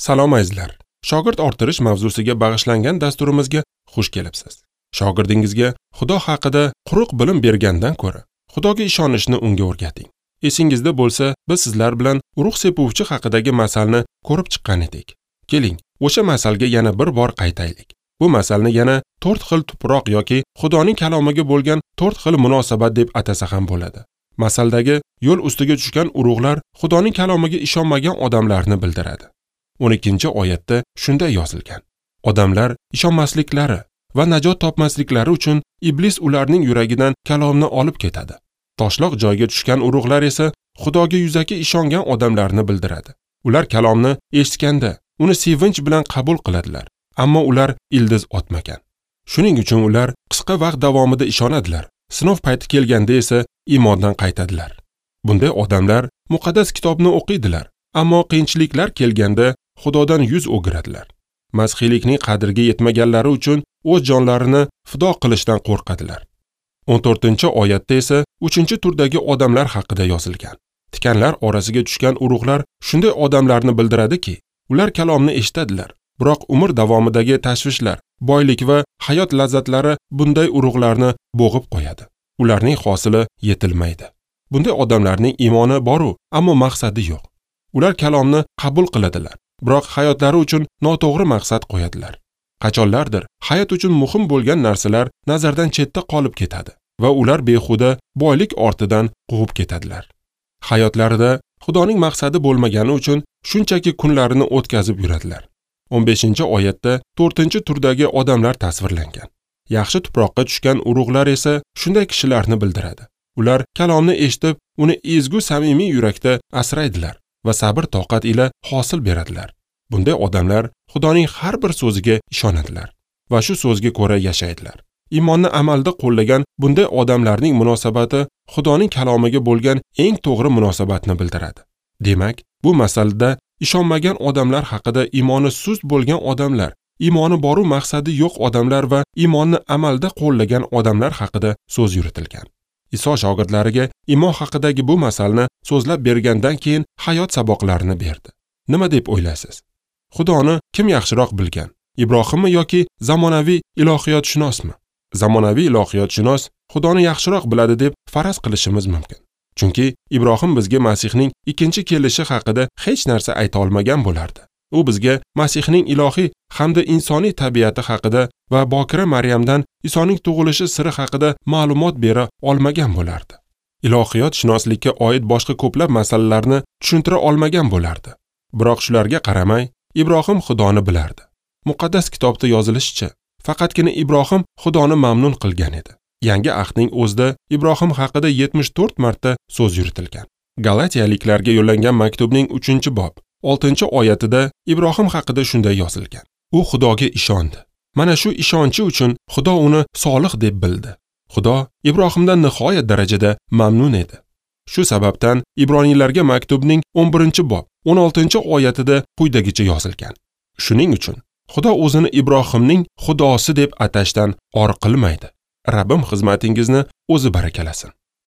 Salom azizlar. Shogird orttirish mavzusiga bag'ishlangan dasturimizga xush kelibsiz. Shogirdingizga Xudo haqida quruq bilim bergandan ko'ra, Xudoga ishonishni unga o'rgating. Esingizda bo'lsa, biz sizlar bilan urug' sepuvchi haqidagi masalni ko'rib chiqqan edik. Keling, o'sha masalga yana bir bor qaytaylik. Bu masalni yana 4 xil tuproq yoki Xudoning kalomiga bo'lgan 4 xil munosabat deb atasa ham bo'ladi. Masaldagi yo'l ustiga tushgan urug'lar Xudoning kalomiga ishonmagan odamlarni bildiradi. 12-oyatda shunday yozilgan: Odamlar ishonmasliklari va najot topmasliklari uchun iblis ularning yuragidan kalomni olib ketadi. Toshloq joyga tushgan urug'lar esa Xudoga yuzaki ishongan odamlarni bildiradi. Ular kalomni eshitganda uni sevinch bilan qabul qiladilar, ammo ular ildiz otmagan. Shuning uchun ular qisqa vaqt davomida ishonadilar, sinov payti kelganda esa iymondan qaytadilar. Bunday odamlar muqaddas kitobni o'qiydilar, ammo qiyinchiliklar kelganda Xudodan yuz o'giradilar. Masihiylikning qadriga yetmaganlari uchun o'z jonlarini fido qilishdan qo'rqadilar. 14-oyatda esa 3-turdagi odamlar haqida yozilgan. Tikanlar orasiga tushgan urug'lar shunday odamlarni bildiradiki, ular kalomni eshitadilar, biroq umr davomidagi tashvishlar, boylik va hayot lazzatlari bunday urug'larni bo'g'ib qo'yadi. Ularning hosili yetilmaydi. Bunday odamlarning iymoni bor-u, ammo maqsadi yo'q. Ular kalomni qabul qiladilar, biroq hayotlari uchun noto'g'ri maqsad qo'yadilar. Qachonlardir hayot uchun muhim bo'lgan narsalar nazardan chetda qolib ketadi va ular behuda boylik ortidan quvib ketadilar. Hayotlarida Xudoning maqsadi bo'lmagani uchun shunchaki kunlarini o'tkazib yuradilar. 15-oyatda 4-turdagi odamlar tasvirlangan. Yaxshi tuproqqa tushgan urug'lar esa shunday kishilarni bildiradi. Ular kalomni eshitib, uni ezgu samimiy yurakda asraydilar va sabr toqat ila hosil beradilar. Bunday odamlar Xudoning har bir so'ziga ishonadilar va shu so'zga ko'ra yashaydilar. Iymonni amalda qo'llagan bunday odamlarning munosabati Xudoning kalomiga bo'lgan eng to'g'ri munosabatni bildiradi. Demak, bu masalada ishonmagan odamlar haqida iymoni sust bo'lgan odamlar, iymoni boru maqsadi yo'q odamlar va iymonni amalda qo'llagan odamlar haqida so'z yuritilgan. Iso shogirdlariga iymon haqidagi bu masalni so'zlab bergandan keyin hayot saboqlarini berdi. Nima deb o'ylaysiz? Xudoni kim yaxshiroq bilgan? Ibrohimmi yoki zamonaviy ilohiyotshunosmi? Zamonaviy ilohiyotshunos Xudoni yaxshiroq biladi deb faraz qilishimiz mumkin. Chunki Ibrohim bizga Masihning ikkinchi kelishi haqida hech narsa ayta olmagan bo'lardi. U bizga Masihning ilohiy hamda insoniy tabiati haqida va bokira Maryamdan Isoning tug'ilishi siri haqida ma'lumot bera olmagan bo'lardi. Ilohiyotshunoslikka oid boshqa ko'plab masalalarni tushuntira olmagan bo'lardi. Biroq shularga qaramay, Ibrohim Xudoni bilardi. Muqaddas kitobda yozilishicha, faqatgina Ibrohim Xudoni mamnun qilgan edi. Yangi ahdning o'zida Ibrohim haqida 74 marta so'z yuritilgan. Galatiyaliklarga yo'llangan maktubning 3-bob 6-oyatida Ibrohim haqida shunday yozilgan: U Xudoga ishondi. Mana shu ishonchi uchun Xudo uni solih deb bildi. Xudo Ibrohimdan nihoyat darajada mamnun edi. Shu sababdan Ibroniylarga maktubning 11-bob 16-oyatida quyidagicha yozilgan: Shuning uchun Xudo o'zini Ibrohimning Xudosi deb atashdan or qilmaydi. Rabbim xizmatingizni o'zi barakalasin.